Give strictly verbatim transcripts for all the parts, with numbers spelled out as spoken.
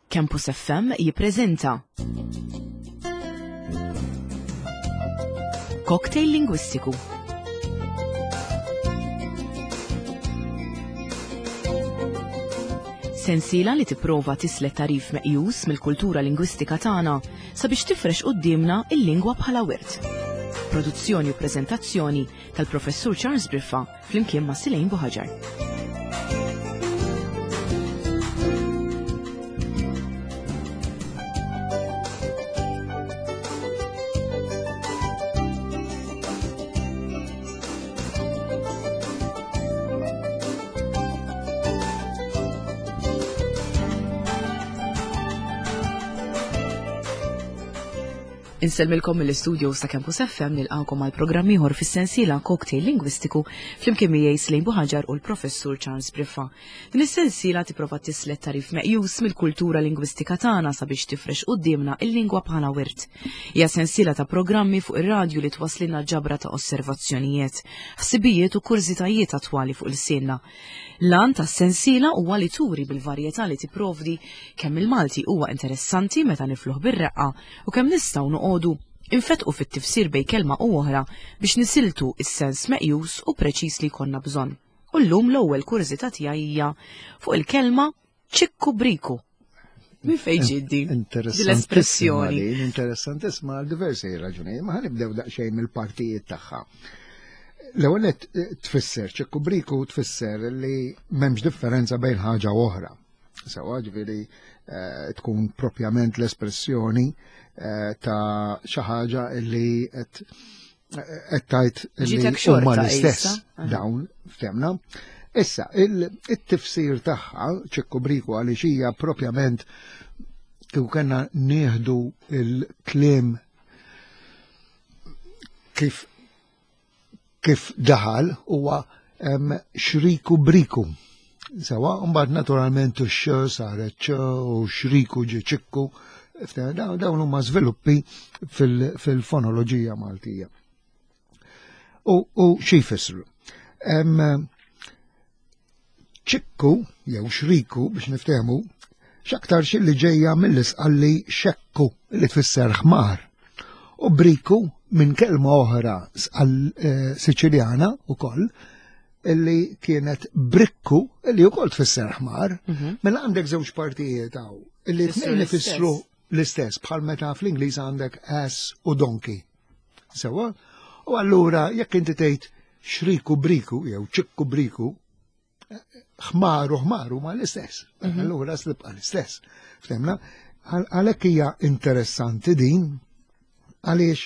Campus F M jippreżenta Cocktail Lingwistiku. Sensiela li tipprova tislet tarif meqjus mill-kultura lingwistika tagħna sabiex tifrex quddiemna il-lingwa bħala wirt. Produzzjoni u preżentazzjoni tal-Professur Charles Briffa flimkien ma' Silejn Buħaġar. Insellmilkom mill-istudio sa' Campus F M nilqgħukom għal programm ieħor fis-sensiela Cocktail Lingwistiku flimkien miegħi Slejn Buħaġar u l-Professur Charles Briffa. Din is-sensiela tipprova tislet tarif meqjus mill-kultura lingwistika tagħna sabiex tifrex quddiemna il-lingwa bħala wirt. Hija sensiela ta' programmi fuq ir-radju li twasslilna ġabra ta' osservazzjonijiet, ħsibijiet u kurżitajiet attwali fuq il-sienna. L-għan tas-sensiela huwa li turi bil-varjetà li tipprovdi kemm il-Malti huwa interessanti meta nifluh bir-reqqa u kemm nistgħu noqogħdu infetqu fit-tifsir bejn kelma u oħra biex nisiltu is-sens meqjus u preċiż li jkollna bżonn. U llum l-ewwel kurżità tiegħi hija fuq il-kelma ċikku briku. Min fejn ġiet din? Interessantissima L-espressjoni. din, interessantissima għal diversi raġunijiet, ma ħanibdew daqsxejn mill-partijiet tagħha. L-ewwel nett, eh, tfisser ċikku briku tfisser li m'hemmx differenza bejn ħaġa u oħra. Sewa ġifieri, eh, tkun propjament l-espressjoni, eh, ta' xi ħaġa li qed, qed tgħid li Ġitek xorta huma l-istess issa. Aha. dawn ftemna. Issa, il-, it-tifsir tagħha ċikku briku għaliex hija propjament kieku kellna nieħdu il-kliem kif, kif daħal huwa, em, xriku briku. Sewa, mbagħad naturalment ix-x saret ċ u xriku ġie ċikku. Ftemna, dawn, dawn huma żviluppi fil-, fil-fonoloġija Maltija. U, u xi jfissru? Em, ċikku jew xriku biex niftehmu x'aktar xi li ġejja mill-isqalli xekku li tfisser ħmar. U briku minn kelma oħra sqal, eh, Siċiljana ukoll illi kienet brikku illi wkoll tfisser ħmar. Mhm. Mela għandek żewġ partijiet hawn illi Tfissru tnejn l-istess. ifissru l-istess bħal meta fl-Ingliż għandek ass u donkey. Sewa? U allura jekk inti tgħid xriku briku jew ċikku briku, ħmar u ħmar huma l-istess. Mhm. Allura slibqa l-istess. Ftemna? Għal-, għalhekk hija interessanti din għaliex,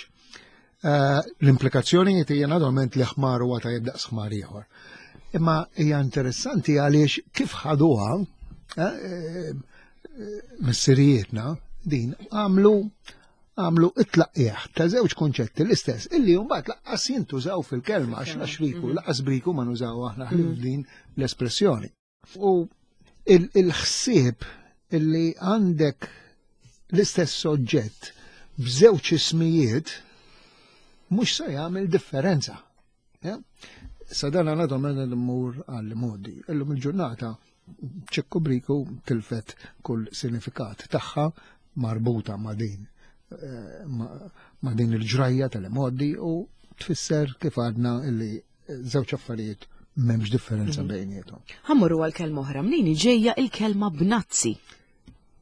eh, l-implikazzjonijiet hija naturalment li ħmar huwa tajjeb daqs ħmar ieħor. Imma hija interessanti għaliex kif ħaduha, eh, eh, missirijietna din għamlu, għamlu it-tlaqqieħ ta' żewġ konċetti l-istess illi mbagħad laqqas jintużaw fil-kelma għax la xriku, Mhm. laqqas briku ma nużaw aħna ħlief Mhm. din l-espressjoni. U il-, il-ħsieb illi għandek l-istess soġġett b'żewġ ismijiet mhux se jagħmel differenza. Ja? Sa dan naturalment immur għall modi. Illum il-ġurnata ċikku briku tilfet kull sinifikat tagħha marbuta ma' din, eh, ma', ma' din il-ġrajja tal-modi u tfisser kif għadna illi żewġ affarijiet m'hemmx differenza Mhm. bejniethom. Ħammurru għal kelma oħra, mnejn ġejja il-kelma bnazzi?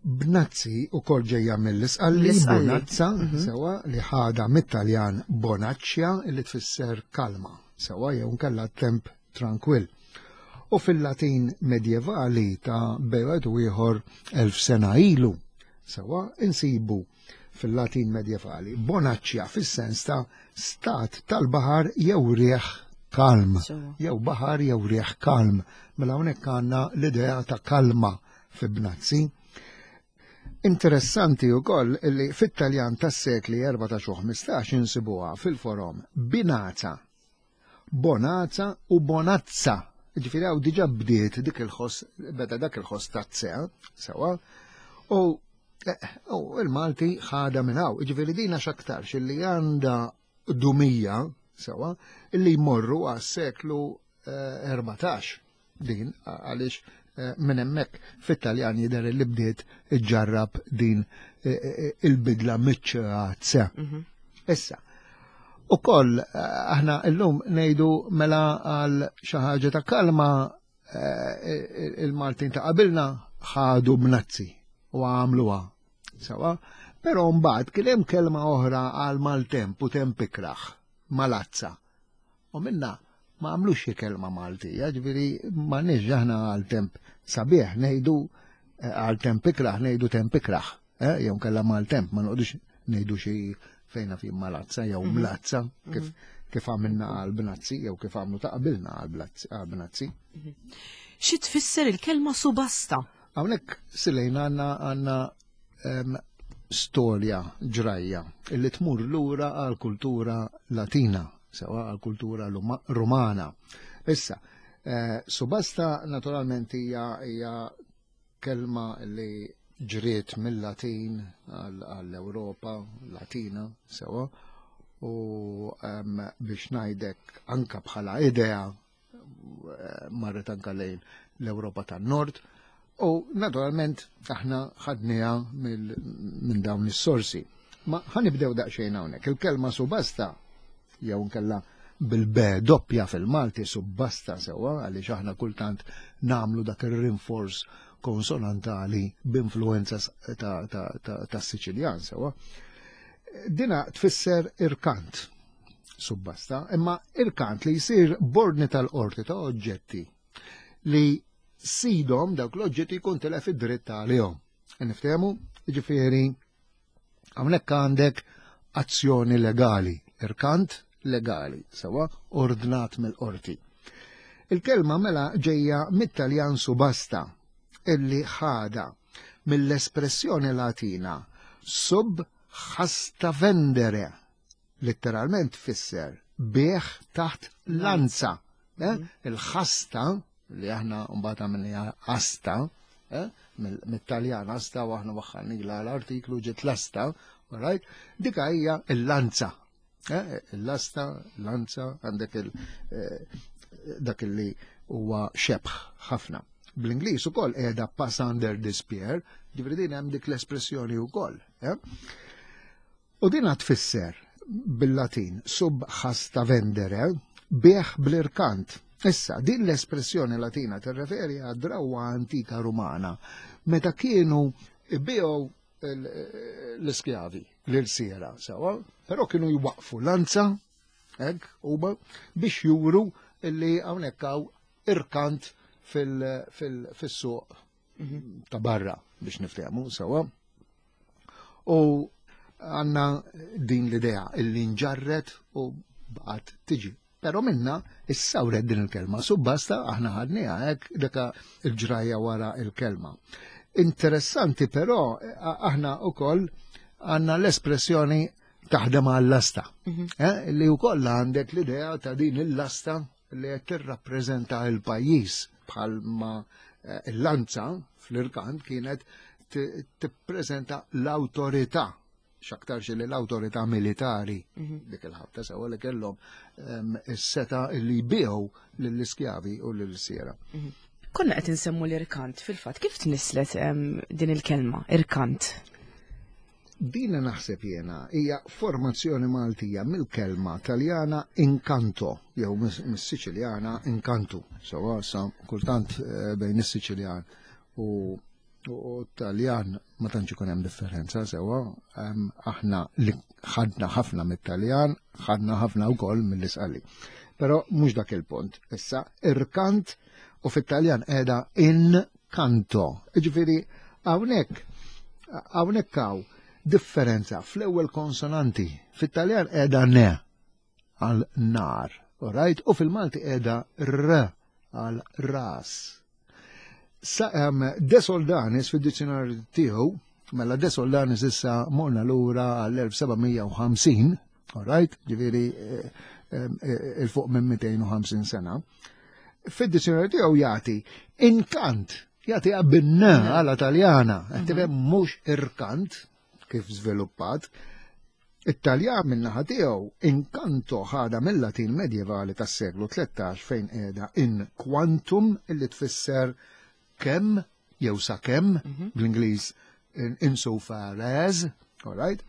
Bnazzi u kol ġejja mill-isqalli, Mill-isqalli. bonazza, Mhm. sewa li ħada mit-Taljan bonaċċja li tfisser kalma, sewa jew nkella temp tranquill. U fil-Latin medjevali ta' bejwet u ieħor elf sena ilu, sewa insibu fil-Latin medjevali bonaċċja fis-sens ta' stat tal-baħar jew rieħ kalm. Sewa. Jew baħar jew rieħ kalm. Mela hawnhekk għandna l-idea ta' kalma fi Bnazzi. Interessanti wkoll li fit-Taljan tas-sekli erbatax u ħmistax insibuha fil-forom Binazza, Bonazza u Bonazza. Ġifieri hawn diġà bdiet dik il-ħoss, beda dak il-ħoss tazzea, sewa, u, eh, u il-Malti ħadha minn hawn. Ġifieri dina x'aktarx illi għandha dumija, sewa, illi jmorru għas-seklu, eh, erbatax din, għaliex Minn hemmhekk fit-Taljan jidher li bdiet iġġarrab din il-bidla miċ-ċ. Issa, ukoll aħna llum ngħidu mela għal xi ħaġa ta' kalma il-Maltin ta' qabilna ħadu bnazzi u għamluha. Sawa, però mbagħad kien hemm kelma oħra għal maltemp u temp ikraħ, malazza. U minna ma għamlux xi kelma Maltija, ġifieri m'għandniex aħna għal temp sabiħ ngħidu għal temp ikraħ ngħidu temp ikraħ, jew kellha maltemp ma noqogħdux ngħidu xi fejna fi malazza jew mlazza kif kif għamilna għal bnazzi jew kif għamlu ta' qabilna għal bnazzi. Xi tfisser il-kelma subasta? Hawnhekk silejna għandna għandna storja ġrajja illi tmur lura għal kultura Latina, sewa għal kultura Romana. Issa, subasta naturalment hija hija kelma li ġriet mill-Latin għall-Ewropa Latina, sewa, u biex ngħidek anka bħala idea marret anka lejn l-Ewropa tan-Nord. U naturalment aħna ħadniha minn dawn is-sorsi. Ma ħanibdew daqsxejn hawnhekk. Il-kelma subasta jew nkella bil-b doppja fil-Malti subbasta sewwa, għaliex aħna kultant nagħmlu dak ir-rinforz konsonantali b'influenza tas-Siċiljan sewwa. Dina tfisser irkant subbasta, imma irkant li jsir b'ordni tal-qorti ta' oġġetti li sidhom dawk l-oġġetti jkun tilef id-dritt għalihom. Niftehmu, jiġifieri hawnhekk għandek azzjoni legali, irkant legali, sewa ordnat mill-qorti. Il-kelma mela ġejja mit-Taljan subasta, illi ħada mill-espressjoni Latina sub hasta vendere, letteralment tfisser bieħ taħt lanza. Il-ħasta li aħna mbagħad għamilniha asta, mit-Taljan asta u aħna waħħalnila l-artiklu ġiet l-asta, right? Dika hija l-lanza. Il-lasta, lanza, għandek dak li huwa xebħ ħafna. Bl-Ingliż ukoll qiegħda pass under the spear, ġifieri din hemm dik l-espressjoni wkoll. U din tfisser bil-Latin sub hasta vendere, bieħ bl-irkant. Issa, din l-espressjoni Latina tirreferi għad drawwa antika Rumana meta kienu ibiegħu l-iskjavi l-irsiera, sewa, però kienu jwaqfu lanza, hekk, huma biex juru illi hawnhekk hawn irkant fil-suq ta' barra biex niftehmu, sewa. U għandna din l-idea illi nġarret u baqgħet tiġi. Però minna issawret din il-kelma, subbasta aħna ħadniha hekk deka il-ġrajja wara il-kelma. Interessanti però aħna wkoll għandna l-espressjoni taħdem għall-lasta, li wkoll għandek l-idea ta' din il-lasta li qed tirrappreżenta l-pajjiż bħalma l-lanza fl-irkant kienet tippreżenta l-awtorità, x'aktarx li l-awtorità militari dik il-ħabta sewa li kellhom is-seta li jbigħu lill-iskjavi u lill-siera. Konna qed insemmu l-irkant fil-fatt, kif tnislet din il-kelma irkant? Dina naħseb jiena hija formazzjoni Maltija mill-kelma Taljana incanto jew mis-Siċiljana incantu. Sewa sa kultant bejn is-Siċiljan u Taljan ma tantx ikun hemm differenza sewwa, aħna li ħadna ħafna mit-Taljan, ħadna ħafna wkoll mill-Isqali. Però mhux dak il-punt. Issa irkant u fit-Taljan qiegħda incanto. Jiġifieri hawnhekk hawnhekk hawn differenza fl-ewwel konsonanti. Fit-Taljan qiegħda ne għal nar, right? U fil-Malti qiegħda r għal ras. Sa, um, De Soldanis fid-dizzjonarju tiegħu, mela De Soldanis issa morna lura għall-elf seba' mija u ħamsin, all right? Ġifieri il-fuq minn mitejn u ħamsin sena. Fid-dizzjonarju tiegħu jagħti inkant, jagħti bin-n għala Taljana, qed tifhem mhux irkant kif żviluppat. It-Taljan min-naħa tiegħu inkanto ħada mill-Latin medjevali tas-seklu tlettax fejn qiegħda in quantum illi tfisser kemm jew sakemm, bl-Ingliż insofar as, all right?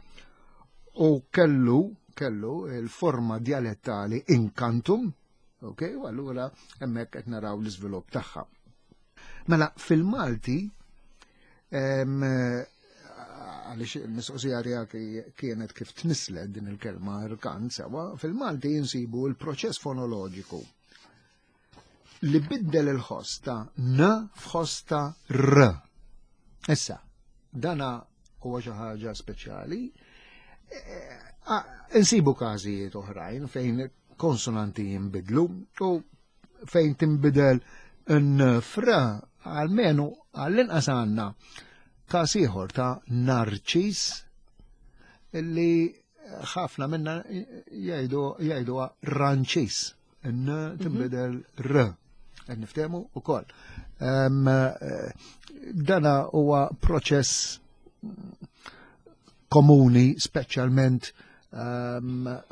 U kellu kellu il-forma dialettali inkantum, ok, u allura hemmhekk qed naraw l-iżvilupp tagħha. Mela fil-Malti, għaliex il-mistoqsija tiegħek kienet kif tnislet din il-kelma rkant sewa, fil-Malti jinsibu il-proċess fonoloġiku li biddel il-ħoss ta' n f'ħoss ta' r. Issa, dana huwa xi ħaġa speċjali. Insibu każijiet oħrajn fejn konsonanti jinbidlu u fejn tinbidel n fra għalmenu għall-inqas għandna każ ieħor ta' narċis illi ħafna minna jgħidu jgħidu ranċis. N tinbidel r. Qed niftehmu ukoll. Dana huwa proċess komuni speċjalment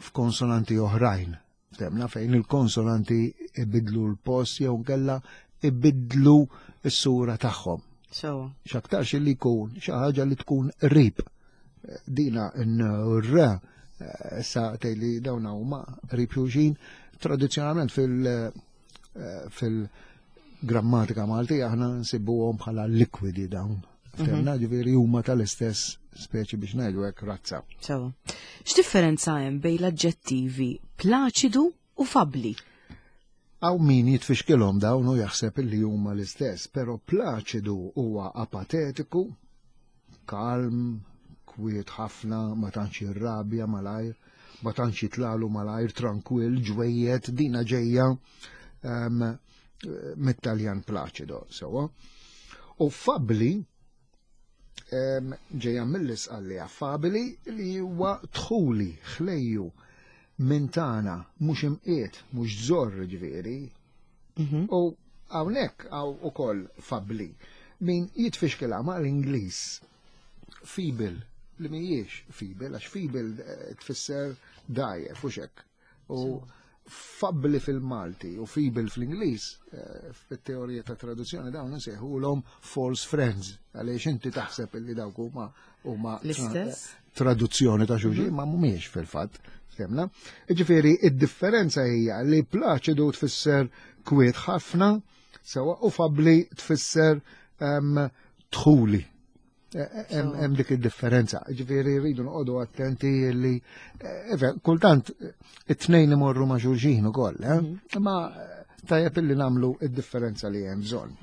f'konsonanti oħrajn. Ftemna fejn il-konsonanti ibidlu l-post jew kella ibidlu s-sura tagħhom. So. X'aktarx li jkun xi ħaġa li tkun qrib. Dina n-r sa tgħidli dawn huma qrib xulxin tradizzjonalment fil- fil-grammatika Maltija aħna nsibuhom bħala likwidi dawn. Ftemna ġifieri huma tal-istess speċi biex ngħidu hekk razza. So. X'differenza hemm bejn l-aġġettivi plaċidu u fabli? Hawn min jitfixkilhom dawn u jaħseb li huma l-istess, però plaċidu huwa apatetiku, kalm, kwiet ħafna, ma tantx jirrabja malajr, ma tantx jitlalu malajr, tranquill, ġwejjed, dina ġejja um, mit-Taljan plaċido, sewa. U fabli um, ġejja mill-Isqallija, fabili li huwa dħuli, ħlejju, minn tagħna, mhux imqiet, mhux żorr ġifieri. U hawnhekk hawn ukoll fabli. Min jitfixkilha ma' l-Ingliż feeble, li mhijiex feeble, għax feeble eh, tfisser dgħajjef u hekk. U fabli fil-Malti u feeble fl-Ingliż, eh, fit-teorija ta' traduzzjoni dawn nsejħulhom false friends, għaliex inti taħseb illi dawk huma huma L-istess? traduzzjoni ta' xulxin, ma mhumiex fil-fatt. Ftemna? Ġifieri, id-differenza hija li plaċidu tfisser kwiet ħafna, sewa u fabli tfisser em, dħuli. Hemm hemm dik id-differenza. Ġifieri rridu noqogħdu attenti li eh, kultant it-tnejn imorru ma' xulxin ukoll, eh? Ma tajjeb illi nagħmlu id-differenza li hemm bżonn.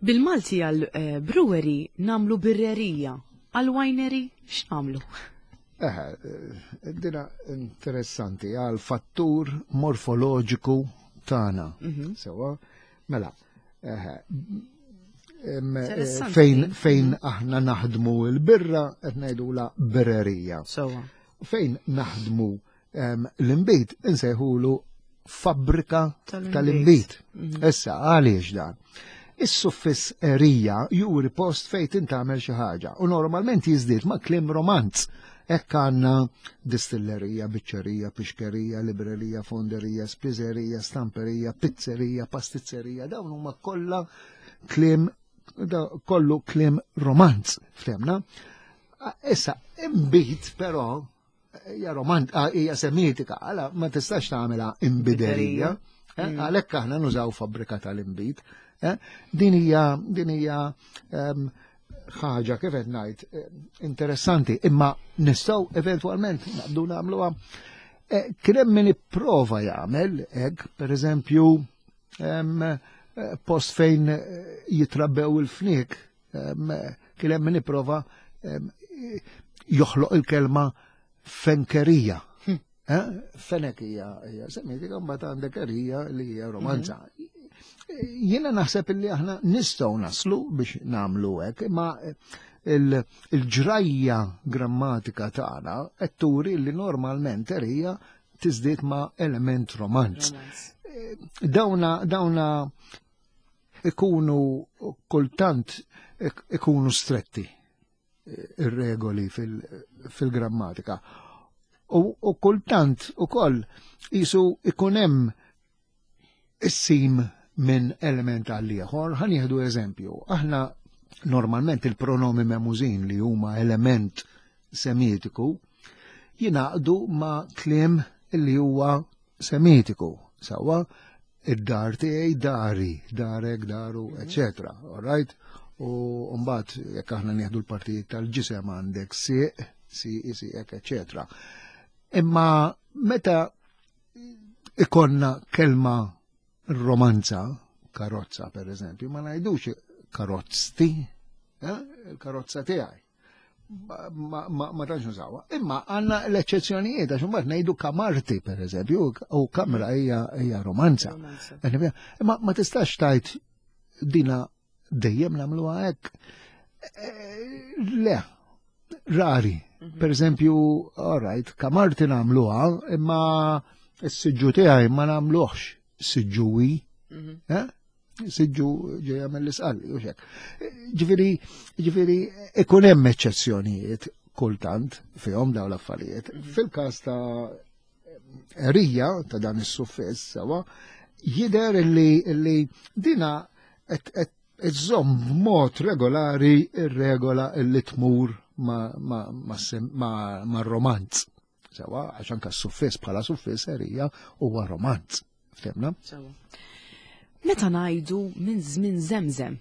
Bil-Malti għal eh, brewery nagħmlu birrerija, għal winery x'nagħmlu? Eh, dina interessanti għal fattur morfoloġiku tagħna. Sewa, mela, eh, em, eh, Interessanti. fejn fejn aħna naħdmu l-birra qed ngħidula birrerija. Sewa. Fejn naħdmu em, l-imbit insejħulu fabbrika Tal-inbid. tal-imbit. Issa għaliex dan? Is-suffiss erija juri post fejn tintgħamel xi ħaġa u normalment jiżdied ma' kliem romanz. Hekk għandna distillerija, biċċerija, pixkerija, librerija, fonderija, spiżerija, stamperija, pizzerija, pastizzerija, dawn huma kollha kliem da kollu kliem romanz, ftemna. Issa, imbit però hija romant, ah, hija semitika, għala ma tistax tagħmilha imbiderija. Eh, Għalhekk aħna nużaw fabbrika tal-imbit. eh. Din hija din hija em, ħaġa kif qed ngħid eh, interessanti, imma nistgħu eventwalment naqbdu nagħmluha. Eh, Kien hemm min ipprova jagħmel hekk, pereżempju, em, eh, post fejn eh, jitrabbew il-fniek, em, kien hemm min ipprova em, joħloq il-kelma fenkerija. Eh? Fenek hija hija semitika, mbagħad għandek erija li hija romanza. Jiena naħseb illi aħna nistgħu naslu biex nagħmlu hekk, imma il- il-ġrajja grammatika tagħna qed turi li normalment erija tiżdied ma' element romanz. Dawna dawna ikunu kultant ikunu stretti ir-regoli fil-grammatika. U, u kultant ukoll jisu ikun hemm is-sim minn element għal ieħor. Ħa nieħdu eżempju. Aħna normalment il-pronomi memużin, li huma element semitiku, jingħaqdu ma' kliem li huwa semitiku. Sawa, id-dar tiegħi dari, darek, daru, eccetera. All right? U mbagħad jekk aħna nieħdu l-partijiet tal-ġisem, għandek sieq, sieqi, sieqek, eccetera. Imma meta ikonna kelma romanza, karozza per eżempju, ma ngħidux karozti, eh? Il-karozza tiegħi. Ma, ma, ma tantx nużawha. Imma għandna l-eċċezzjonijiet, għax imbagħad ngħidu kamarti per eżempju, u kamra hija hija romanza. Imma ma tistax tgħid dina dejjem nagħmluha hekk. Eh, le, rari. Mhm. Per eżempju, all right, kamarti nagħmluha, imma s-siġġu tiegħi ma nagħmluhx siġġuwi. Mhm. Eh? Siġġu ġejja mill-Isqalli, u hekk. Ġifieri, ġifieri, ikun hemm eċċezzjonijiet kultant fihom dawn l-affarijiet. Mhm. Fil-każ ta' erija ta' dan is-suffiss sewa, jidher li, li dina qed iżżomm b'mod regolari ir-regola li tmur ma', ma, ma, ma, ma romanz. Sewa, għax anka s-suffiss bħala suffiss erija huwa romanz. Ftemna? Sewa. Meta ngħidu minn żmien Żemżem,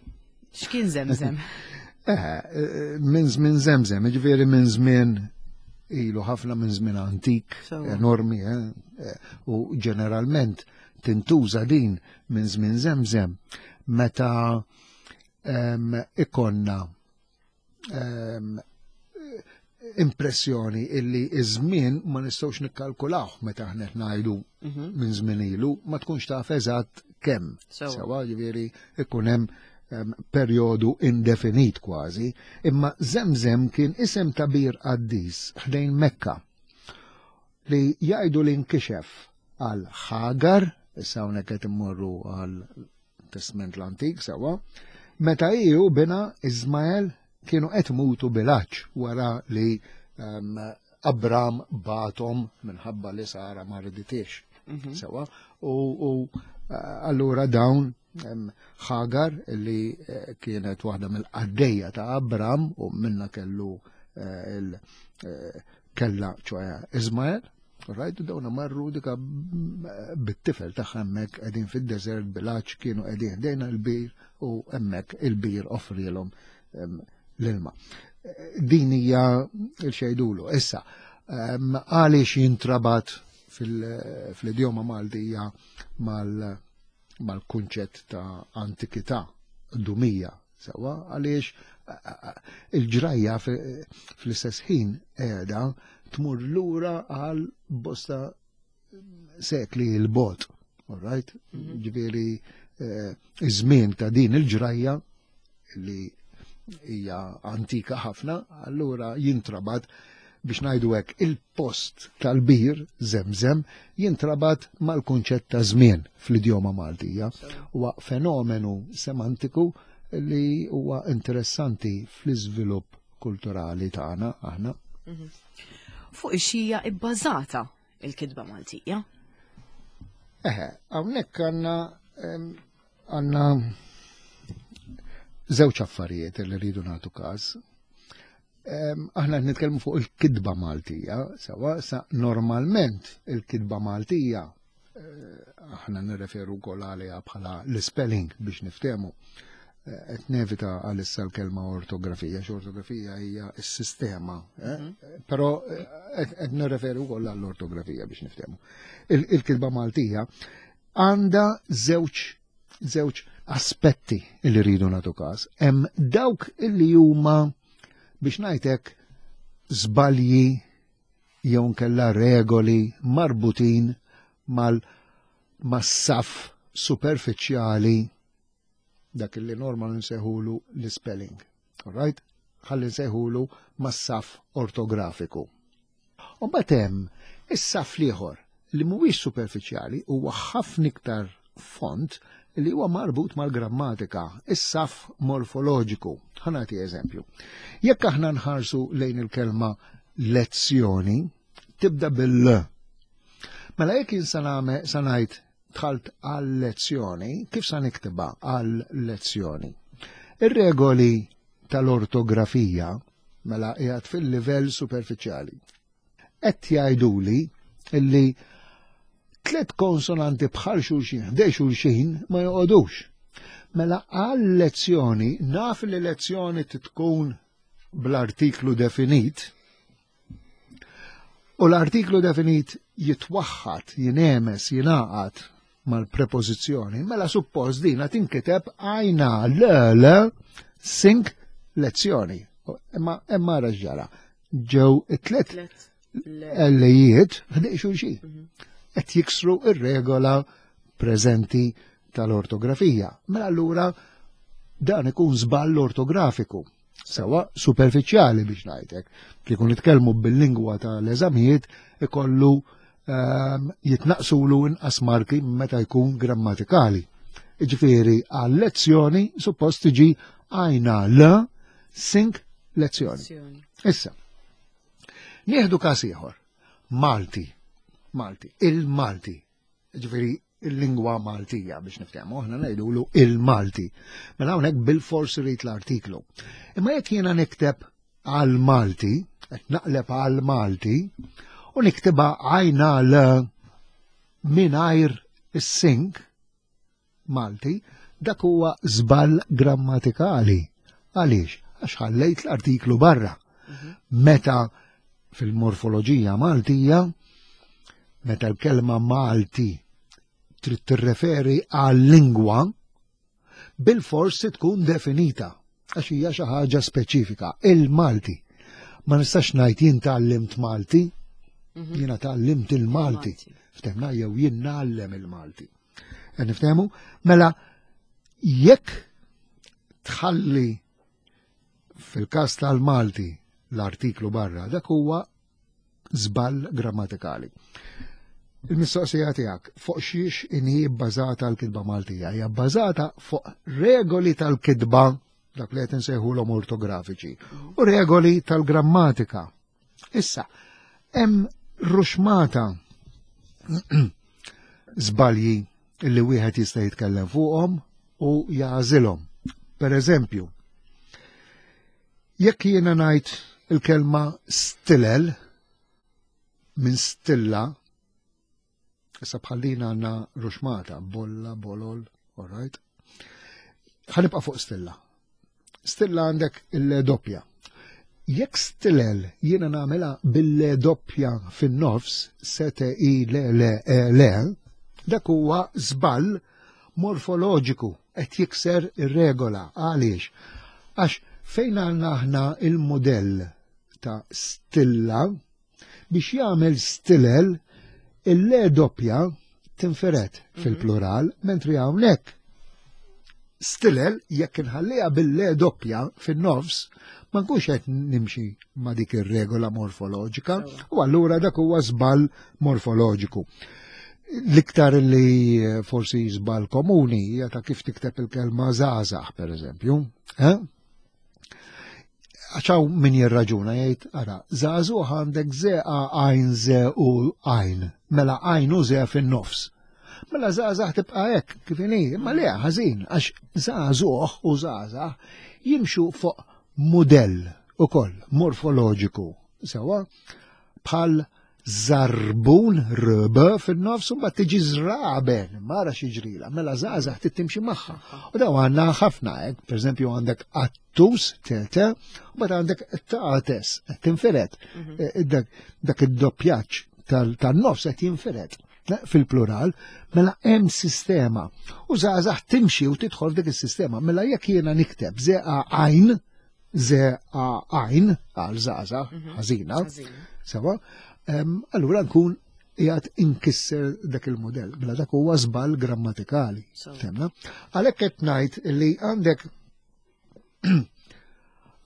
x'kien Żemżem? Eh, minn żmien Żemżem, ġifieri minn żmien ilu ħafna, minn żmien antik, enormi, eh, u ġeneralment tintuża din minn żmien Żemżem meta ikonna em, impressjoni illi iż-żmien ma nistgħux nikkalkulawh meta aħna qed ngħidu minn żmien ilu, ma tkunx taf eżatt kemm. Sewa. Sewa, ġifieri ikun hemm em, perjodu indefinit kważi, imma Zemzem kien isem ta' bir qaddis ħdejn Mekka li jgħidu li nkixef għal Ħagar, issa hawnhekk qed immorru għal Testament l-Antik, sewa, meta hi u binha Ismael kienu qed imutu bil-għatx wara li um, Abram bagħathom minħabba li Sara ma riditix. Sewa, u, u eh, allura dawn em, Ħagar li eh, kienet waħda mill-qaddejja ta' Abram u minna kellu eh, il eh, kella ċoè Ismael, right, dawna marru dika bit-tifel tagħha hemmhekk qegħdin fid-desert bil-għatx, kienu qegħdin ħdejn il-bir u hemmhekk il-bir offrilhom em, l-ilma. Din hija il-xejdulu. Issa, em, għaliex jintrabat fil- fl-idjoma Maltija mal- mal-kunċett ta' antikità, dumija, sewa, għaliex il-ġrajja fi- fl-istess ħin qiegħda tmur lura għal bosta sekli 'l bogħod, all right? Ġifieri eh, iż-żmien ta' din il-ġrajja li hija antika ħafna, allura jintrabat, biex ngħidu hekk, il-post tal-bir Zemzem jintrabat mal-kunċett ta' żmien fl-idjoma Maltija. Huwa fenomenu semantiku li huwa interessanti fl-iżvilupp kulturali tagħna aħna. Fuq xiex ibbażata il-kitba Maltija? Eħe, hawnhekk għandna em, għandna żewġ affarijiet li rridu nagħtu każ. Em, Aħna qed nitkellmu fuq il-kitba Maltija, sewa, sa normalment il-kitba Maltija eh, aħna nirreferu wkoll għaliha bħala l-spelling biex niftehmu. Eh, Qed nevita għalissa l-kelma ortografija, x'ortografija hija s-sistema, eh? Però eh, qed qed nirreferu wkoll għall-ortografija biex niftehmu. Il- Il-kitba Maltija għandha żewġ żewġ aspetti li rridu nagħtu każ. Hemm dawk illi huma, biex ngħidlek, żbalji jew nkella regoli marbutin mal mas-saf superfiċjali, dak li normal nsejħulu l-spelling. All right? Ħalli nsejħulu mas-saf ortografiku. U mbagħad hemm is-saf l-ieħor li mhuwiex superfiċjali, huwa ħafna iktar fond, li huwa marbut mal-grammatika, is-saf morfoloġiku. Ħa nagħti eżempju. Jekk aħna nħarsu lejn il-kelma lezzjoni, tibda bil-l. Mela jekk jien sa ngħid Dħalt għal-lezzjoni, kif sa niktibha għal-lezzjoni? Ir-regoli tal-ortografija, mela qiegħed fil-livell superfiċjali, qed jgħiduli illi tliet konsonanti bħal xulxin, ħdejn xulxin, ma joqogħdux. Mela għal-lezzjoni, naf li lezzjoni tkun bl-artiklu definit, u l-artiklu definit jitwaħħad, jinemes, jingħaqad mal-prepożizzjoni, mela suppost dina tinkiteb għajna l l sink lezzjoni. Imma imma ġara. Ġew it-tlet L-ijiet ħdejn xulxin. Qed jiksru ir-regola preżenti tal-ortografija. Mela allura dan ikun żball ortografiku. Sewa superfiċjali biex ngħidlek. Kieku nitkellmu bil-lingwa tal-eżamijiet, ikollu um, jitnaqsulu inqas marki meta jkun grammatikali. Ġifieri għal-lezzjoni suppost tiġi għajna l sink lezzjoni. Issa, nieħdu każ ieħor. Malti. Malti. Il-Malti. Ġifieri il-lingwa Maltija biex niftehmu, aħna ngħidulu il-Malti. Mela hawnhekk bil-fors irid l-artiklu. Imma jekk jiena nikteb għal Malti, qed naqleb għal Malti, u niktibha għajna l mingħajr is-sink Malti, dak huwa żball grammatikali. Għaliex? Għax ħallejt l-artiklu barra. Meta fil-morfoloġija Maltija, meta l-kelma Malti trid tirreferi għal-lingwa, bil-forsi tkun definita, għax hija xi ħaġa speċifika, il-Malti. Ma nistax ngħid jien tgħallimt Malti, jiena tgħallimt il-Malti. Ftehmna, jew jien ngħallem il-Malti. Qed niftehmu? Mela jekk tħalli fil-każ tal-Malti l-artiklu barra, dak huwa żball grammatikali. Il-mistoqsija tiegħek fuq xiex inhi bbażata l-kitba Maltija? Hija bbażata fuq regoli tal-kitba, dak li qed insejħulhom ortografiċi, u regoli tal-grammatika. Issa, hemm ruxmata żbalji li wieħed jista' jitkellem fuqhom u jagħżilhom. Per eżempju, jekk jiena ngħid il-kelma stilel minn stilla, issa bħallina għandna ruxmata, bolla, bolol, all right? Ħa nibqa' fuq stilla. Stilla għandek il-L doppja. Jekk stilel jiena nagħmilha bil-L doppja fin-nofs, sete i le le e le, dak huwa żball morfoloġiku, qed jikser ir-regola. Għaliex? Għax fejn għandna aħna il-modell ta' stilla, biex jagħmel stilel, il-L doppja tinferet fil-plural, mentri hawnhekk stilel jekk inħalliha bil-L doppja fin-nofs ma nkunx qed nimxi ma' dik ir-regola morfoloġika u allura dak huwa żball morfoloġiku. L-iktar li forsi żball komuni hija ta' kif tikteb il-kelma żgħażagħ, per eżempju. Eh? Għax hawn min jirraġuna jgħid, ara, żagħżugħ għandek ze a għajn ze u għajn, mela għajn u ze fin-nofs. Mela żgħażagħ tibqa' hekk kif inhi, imma le, ħażin, għax żagħżugħ u żgħażagħ jimxu fuq mudell ukoll morfoloġiku, sewa bħal żarbun rb fin-nofs u mbagħad tiġi żraben, mara xi ġrila, mela żgħażagħ trid timxi magħha. U daw għandna ħafna hekk, pereżempju għandek attus tete, u mbagħad għandek tates, qed tinfired. Eh, Dak dak id-doppjaġġ tan-nofs qed jinfired fil-plural, mela hemm sistema. U żgħażagħ timxi u tidħol f'dik is-sistema. Mela jekk jiena nikteb zeqa għajn, zeqa għajn għal żgħażagħ ħażina, sewa, allura nkun qiegħed inkisser dak il-modell. Mela dak huwa żball grammatikali. Fhimna? Għalhekk qed ngħid li għandek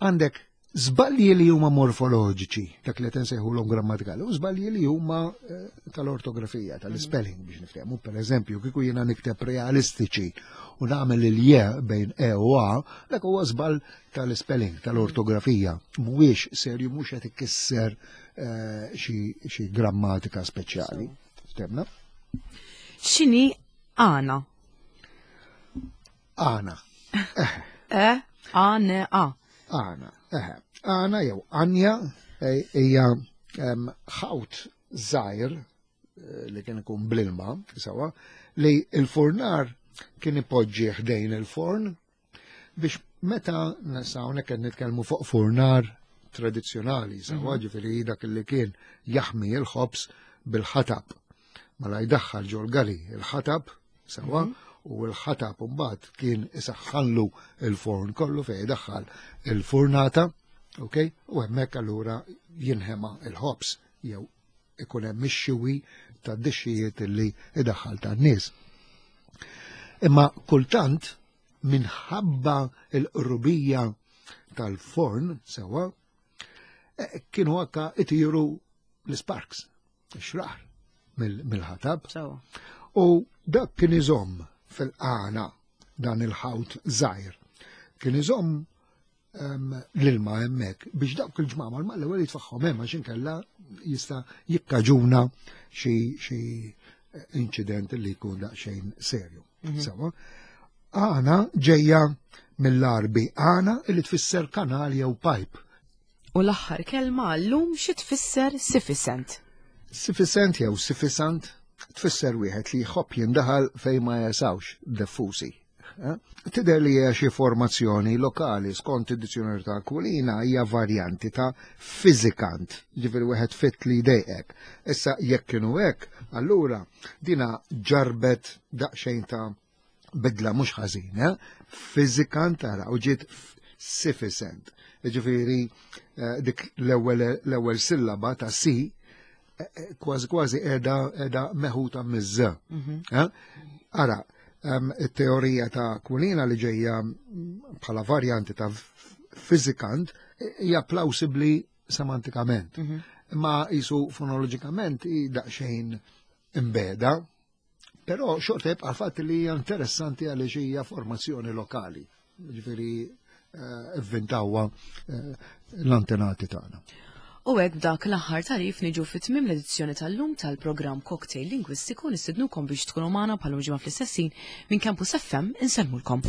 għandek żbalji li huma morfoloġiċi, dak li qed insejħulhom grammatikali, u żbalji li huma eh, tal-ortografija, tal-spelling biex niftehmu. Per eżempju, kieku jiena nikteb realistiċi u nagħmel il-je bejn E u A, dak huwa żball tal-spelling, tal-ortografija. Mhuwiex serju, mhux qed ikisser eh, xi grammatika speċjali. Ftehmna? X'inhi Għana. Għana. E, A, N, A. Għana. Eħe. Għana jew Anja eh, hija em, ħawt żgħir eh, li kien ikun bl-ilma, sawa, li il-furnar kien ipoġġi ħdejn il-forn biex meta nasa hawnhekk qed nitkellmu fuq furnar tradizzjonali, sawa, ġifieri dak li kien jaħmi il-ħobż bil-ħatab. Mela jdaħħal ġol-gali il-ħatab, sawa, u l-ħatab mbagħad kien isaħħanlu il-forn kollu fejn jdaħħal il-furnata, ok? U hemmhekk allura jinħema il-ħobż jew ikun hemm ix-xiwi tad-dixxijiet li idaħħal tan-nies. Imma kultant minħabba l-qrubija tal-forn sewa eh, kienu akka itiru l-sparks, ix-xrar mill-ħatab. Sewa. U dak kien iżomm fil-qana dan il-ħawt żgħir. Kien iżomm em, l-ilma hemmhekk biex dawk il-ġmamar mal-ewwel jitfaħħom hemm għax inkella jista' jikkaġuna xi xi inċident li jkun daqsxejn serju. Sawa. Għana ġejja mill-Għarbi għana li tfisser kanal jew pipe. U l-aħħar kelma għallum xi tfisser sufficient. Sufficient jew sufficient tfisser wieħed li jħobb jindaħal fejn ma jesawx diffusi. Eh? Tidher li hija xi formazzjoni lokali skont id-dizzjonarju ta' Aquilina hija varjanti ta' fizikant, ġifieri wieħed fit li jdejqek. Issa jekk kienu hekk, allura dina ġarbet daqsxejn ta' bidla mhux ħażin, eh? Fizikant ara u ġiet sufficient. Ġifieri eh, dik l-ewwel l-ewwel sillaba ta' si eh, eh, kważi kważi qiegħda qiegħda meħuta miż. Eh? Ara, em, it-teorija ta' Aquilina li ġejja mm, bħala varjanti ta' fizikant hija plausibli semantikament. Imma jisu fonoloġikament hi daqsxejn imbeda, però xorta jibqa' fatt li hija interessanti għaliex hija formazzjoni lokali. Ġifieri eh, ivvintawha eh, l-antenati tagħna. U hekk b'dak l-aħħar tagħrif niġu fi tmiem l-edizzjoni tal-lum tal-programm Cocktail Lingwistiku. Nistednukom biex tkunu magħna bħal ġimgħa fl-istess ħin. Minn Campus F M insellmulkom.